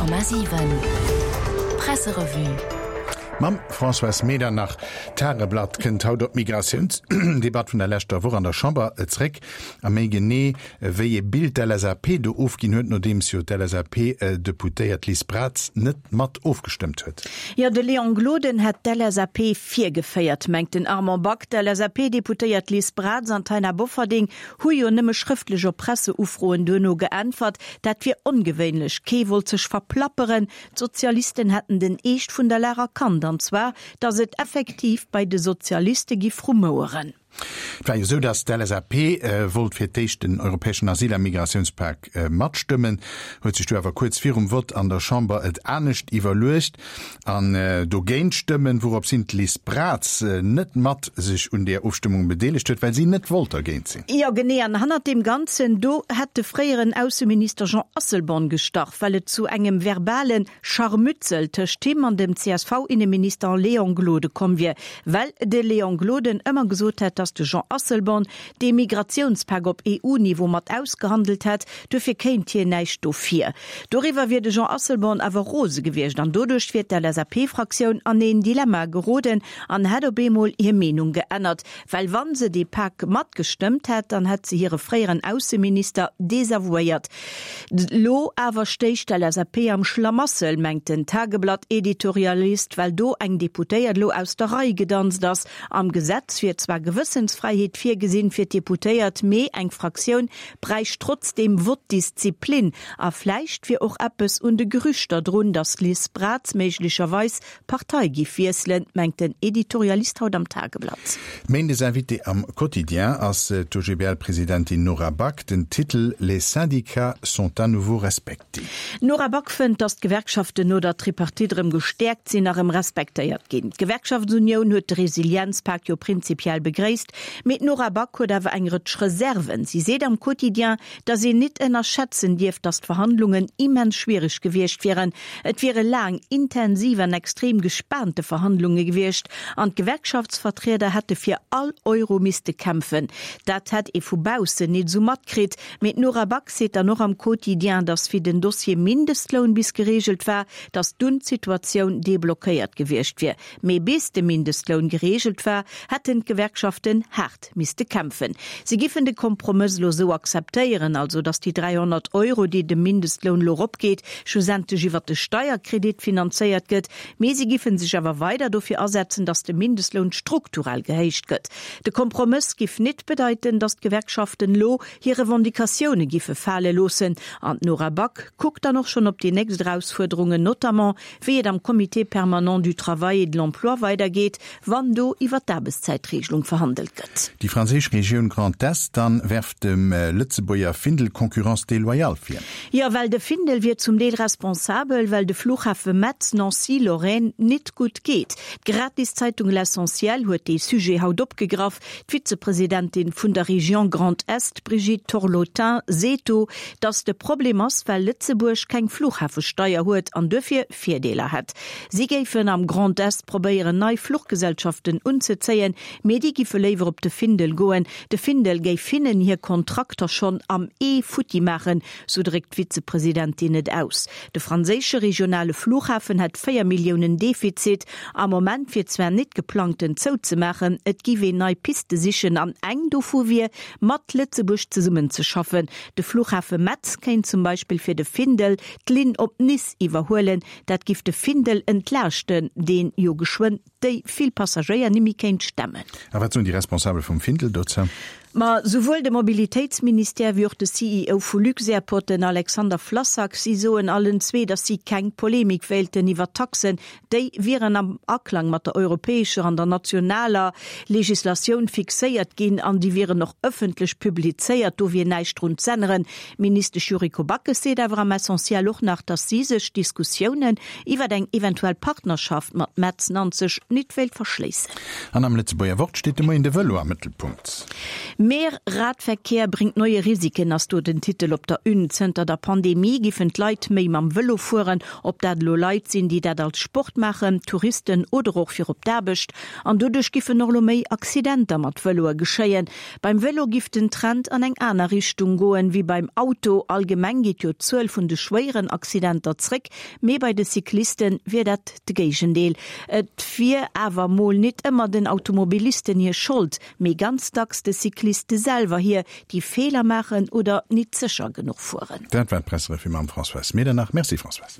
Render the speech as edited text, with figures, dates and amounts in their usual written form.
100,7 Presserevue. Mam Françoise Medernach. D'Tageblatt kënnt haut op d'Migratiounsdebatt vun der leschter Woch an der Chamber zréck a méi genee wéi ee Bild d'LSAP do ofginn huet, nodeems jo d'LSAP-Deputéiert Liz Braz net mat ofgestëmmt huet. Jo, de Léon Gloden hätt d'LSAP virgeféiert, mengt den Armand Back. D'LSAP-Deputéiert Liz Braz an d'Taina Bofferding Hu jo nëmme schrëftlech op Presseufroen duerno geäntwert. Dat wier ongewéinlech. Kee wollt sech verplapperen. D'Sozialisten hätten den Eescht vun der Lag erkannt, an zwar, datt et effektiv bei de Sozialiste giff rumoueren. Et war jo esou, datt d'LSAP wollt fir d'éischt den europäeschen Asyl a Migratiounspak matstëmmen, huet sech du awer kuerz virum Vott an der Chamber et anescht iwwerluecht. An dogéint stëmmen, wourops hin d'Liz Braz net mat sech un där Ofstëmmung bedeelegt huet, well si net wollt dergéint sinn. Jo, genee. An hannert deem Ganzen do hätt de fréieren Ausseminister Jean Asselborn gestach, well et zu engem verbale Scharmützel tëscht him an dem CSV-Inneminister Léon Gloden komm wier, well de Léon Gloden ëmmer gesot hätt, datt de Jean Asselborn dee Migratiounspak op EU-Niveau mat ausgehandelt hätt, duerfir kéint hien näischt dofir. Doriwwer wier de Jean Asselborn awer rose gewiescht an doduerch wier d'LSAP-Fraktioun an een Dilemma geroden an hätt op eemol hir Meenung geännert. Well wa se dee Pak matgestëmmt hätt, dann hätt se hire fréieren Ausseminister desavouéiert. Lo awer stéich d'LSAP am Schlamassel, mengt den Tageblatt-Editorialist, well do eng Deputéiert elo aus der Rei gedanzt ass. Am Gesetz wier zwar Gewëssensfräiheet virgesinn fir d'Deputéiert, mee eng Fraktioun bräicht trotzdeem Vottdisziplin. A vläicht wier och eppes un de Gerüchter drun, datt d'Liz Braz méiglecherweis d'Partei giff wiesselen, mengt den Editorialist haut am Tageblatt. Méindes Invitée am Quotidien ass d'OGBL-Presidentin Nora Back. Den Titel Les syndicats sont à nouveau respectés. D'Nora Back fënnt, datt d'Gewerkschaften no der Tripartite erëm gestäerkt sinn a rëm respektéiert ginn. D'Gewerkschaftsunioun huet de Resilienzpak jo prinzipiell begréisst, mee d'Nora Back huet awer eng Rëtsch Reserven. Si seet am Quotidien, datt een nit ënnerschätzen dierf, datt d'Verhandlungen immens schwiereg gewiescht wieren. Et wiere laang, intensiv an extrem gespaante Verhandlunge gewiescht an d'Gewerkschaftsvertrieder hätte fir all Euro misste kämpfen. Dat hätt ee vu baussen nit esou matkritt. Mee d'Nora Back seet dann och am Quotidien, datt wéi den Dossier Mindestloun bis gereegelt war, datt dunn d'Situatioun deblockéiert gewiescht wier. Mee bis de Mindestloun gereegelt war, hätten d'Gewerkschaften haart misste kämpfen. Si giffen de Kompromëss elo esou akzeptéieren, also datt déi 300 Euro, déi de Mindestloun elo eropgeet, schlussendlech iwwert de Steierkredit finanzéiert gëtt. Mee si giffen sech awer weider dofir asetzen, datt de Mindestloun strukturell gehéicht gëtt. De Kompromëss giff nit bedeiten, datt d'Gewerkschaften elo hir Revendicatioune giffe fale loossen. An d'Nora Back kuckt dann och schonn op déi nächst Erausfuerderungen, notamment wéi et am Comité permanent du travail et de l'emploi weidergeet, wann do iwwer d'Aarbechtszäitregelung verhandelt gëtt. Déi franséisch Regioun Grand Est dann werft dem Lëtzebuerger Findel Concurrence déloyale vir. Jo, well de Findel wier zum Deel responsabel, well de Flughafe Metz, Nancy, Lorraine nit gutt geet. D'Gratiszeitung L'Essentiel huet dee Sujet haut opgegraff. D'Vizepresidentin vun der Région Grand Est, Brigitte Torlotin, seet do, datt de Problem ass, well Lëtzebuerg keng Fluchhafesteier huet an duerfir Virdeeler hätt. Si géifen am Grand Est probéieren, nei Fluchgesellschaften unzezéien, mee déi giffe léiwer op de Findel goen. De Findel géif hinnen hir Kontrakter schonn am Ee futti maachen, sou dréckt d'Vizepresidentin et aus. De franséische regionale Flughafen hätt 4 Milliounen Defizit. Am Moment wier zwar nit geplangt en zouzemaachen, et giff een nei Piste sichen an eng dovu wier, mat Lëtzebuerg zesummenzeschaffen. De Flughafe Metz kéint zum Beispill fir de Findel d'Linn op Nice iwwerhuelen. Dat giff de Findel entlaaschten, deen jo geschwënn déi vill Passagéier nimmi kéint stemmen. A wat soen déi Responsabel vum Findel dozou? Ma souwuel de Mobilitéitsministère wéi och de CEO vu Luxairport, den Alexander Flassak, si soen allen zwee, datt si keng Polemik wéilten iwwer d'Taxen. Déi wieren am Aklang mat der europäescher an der nationaler Legislatioun fixéiert ginn an déi wieren och ëffentlech publizéiert. Do wier näischt drun z'änneren. D'Ministesch Yuriko Backes seet awer am Essentiel och nach, datt si sech Diskussiounen iwwer eng eventuell Partnerschaft mat Metz Nanzeg nit wéilt verschléissen. An am Lëtzebuerger Wort steet de Moien de Vëlo am Mëttelpunkt. Mehr Radverkehr bringt neue Risiken ass do den Titel op der Une. Zënter der Pandemie giffen d'Leit méi mam Vëlo fueren, ob dat elo Leit sinn, déi dat als Sport maachen, Touristen oder och fir op d'Aarbecht. An doduerch giffen och elo méi Accidenter mat Vëloe geschéien. Beim Vëlo giff den Trend an eng aner Richtung goen, wéi beim Auto. Allgemeng geet jo d'Zuel vun de schwéieren Accidenter zréck, mee bei de Cycliste wier dat de Géigendeel. Et wier awer mol nit ëmmer den Automobilisten hir Schold, mee ganz dacks de Cycliste selwer hir, déi Feeler maachen oder nit sécher genuch fueren. Dat war d'Presserevue mam Françoise Medernach. Merci Françoise.